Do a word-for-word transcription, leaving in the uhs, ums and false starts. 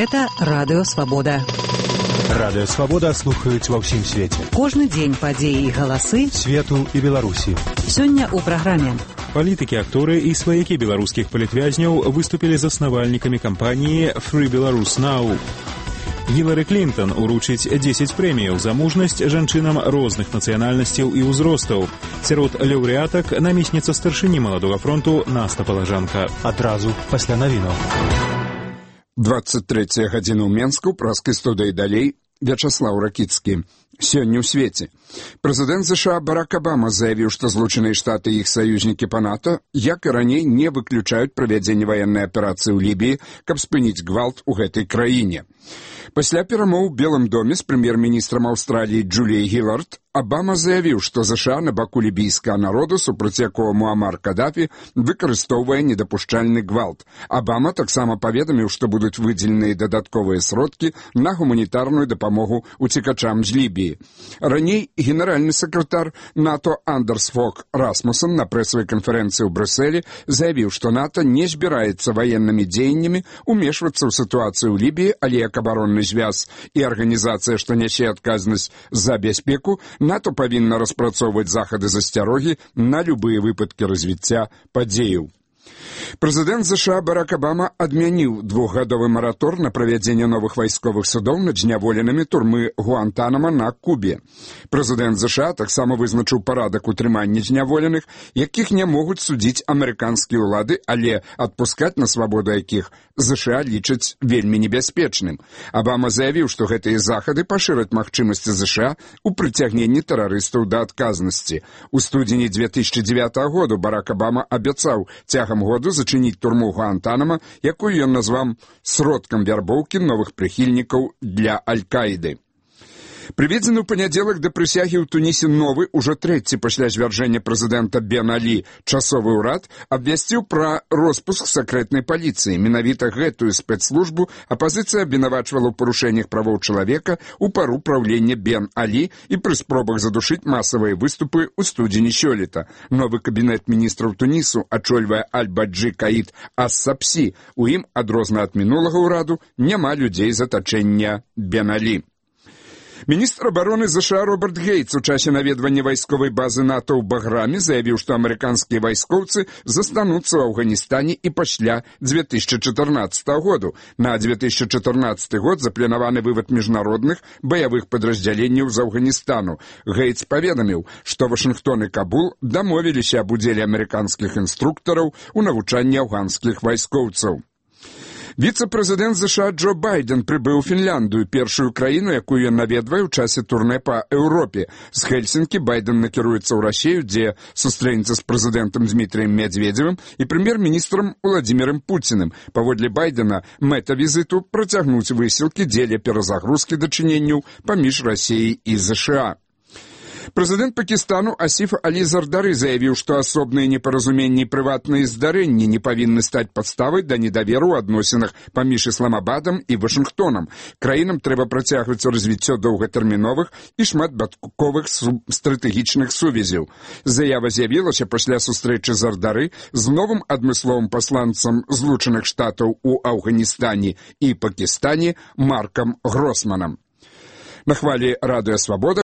Гэта Радыё Свабода. Радыё Свабода слухаюць ва ўсім свеце. Кожны дзень падзеі і галасы свету і Беларусі. Сёння ў праграме. Палітыкі, акторы і сваякі беларускіх палітвязняў выступілі заснавальнікамі кампаніі Free Belarus Now. Гілары Клінтон уручыць дзесяць прэміяў за мужнасць жанчынам розных нацыянальнасцяў і ўзростаў. Сярод лаўрэатак намесніца старшыні маладога фронту Наста Палажанка. Адразу пасля навінаў. двадцать третья гадзіна ў Менску, праскай студыі далей, Вячаслаў Ракіцкі. Сёння ў свеце. Прэзідэнт ЗША Барак Абама заявіў, што Злучаныя Штаты і іх саюзнікі па НАТО, як і раней, не выключаюць правядзенне ваеннай аперацыі ў Лібіі, каб спыніць гвалт у гэтай краіне. Пасля перамоў у Белым доме з прэм'ер-міністрам Аўстраліі Джуліяй Гілард Абама заявіў, што ЗША на баку лібійскага народу, супраць якога Муамар Кадафі выкарыстоўвае недапушчальны гвалт. Абама таксама паведаміў, што будуць выдзеленыя дадатковыя сродкі на гуманітарную дапамогу уцекачам з Лібіі. Раней генеральны сакратар НАТО Андерс Фог Расмуссен на прэсавай канферэнцыі ў Брюсселі заявіў, што НАТО не збіраецца ваеннымі дзеяннямі умешвацца ў сітуацыю ў Лібіі, але як абаронны звяз і арганізацыя, што нясе адказнасць за бяспеку, НАТО павінна распрацоўваць захады засцярогі на любыя выпадкі развіцця падзеяў. Прэзідэнт ЗША Барак Абама адмяніў двухгадовы маратор на правядзенне новых вайсковых судоў над зняволенымі турмы Гуантанама на Кубе. Прэзідэнт ЗША таксама вызначыў парадак утрымання зняволеных, якіх не могуць судзіць амерыканскія ўлады, але адпускаць на свабоду якіх ЗША лічаць вельмі небяспечным. Абама заявіў, што гэтыя захады пашыраць магчымасці ЗША у прыцягненні тэрарыстаў да адказнасці. У студзені две тысячи девятого году Барак Абама абяцаў цягам году зачыніць турму Гуантанама, якую ён назваў сродкам вярбоўкі новых прыхільнікаў для Аль-Каіды. Прыведзены ў панядзелак да прысягі ў Тунісе новы, ужо трэці пасля звяржэння прэзідэнта Бен Алі, часовы ўрад абвясціў пра роспуск сакрэтнай паліцыі. Менавіта гэтую спецслужбу апазіцыя абвінавачвала ў парушэннях правоў чалавека ў пару праўлення Бен Алі і пры спробах задушыць масавыя выступы ў студзені сёлета. Новы кабінет міністраў Тунісу ачольвае Аль-Баджы Каід Ас-Сапсі. У ім, адрозна ад мінулага ўраду, няма людзей з атачэння Бен Алі. Міністр абароны ЗША Роберт Гейтс у часе наведвання вайсковай базы НАТО ў Баграме заявіў, што амерыканскія вайскоўцы застануцца ў Афганістане і пасля две тысячи чатырнаццатого году. На две тысячи чатырнаццаты год запланаваны вывад міжнародных баявых падраздзяленняў з Афганістану. Гейтс паведаміў, што Вашынгтон і Кабул дамовіліся аб удзеле амерыканскіх інструктараў у навучанні афганскіх вайскоўцаў. Віцэ-прэзідэнт ЗША Джо Байден прыбыў у Фінляндыю, першую краіну, якую ён наведвае ў часе турнэ па Еўропе. З Хельсінкі Байден накіруецца ў Расію, дзе сустрэнецца з прэзідэнтам Дмітрыем Медведзевым і прэм'ер-міністрам Уладзімірам Пуціным. Паводле Байдена, мэта візіту працягнуць высілкі дзеля перазагрузкі дачыненняў паміж Расіяй і ЗША. Прэзідэнт Пакістану Асіф Алі Зардары заявіў, што асобныя непаразуменні і прыватныя здарэнні не павінны стаць падставай да недаверу ў адносінах паміж Ісламабадам і Вашынгтонам. Краінам трэба працягваць развіццё доўгатэрміновых і шматбаковых стратэгічных сувязяў. Заява з'явілася пасля сустрэчы Зардары з новым адмысловым пасланцам Злучаных Штатаў у Афганістане і Пакістане Маркам Гросманам. На хвалі Радыё Свабода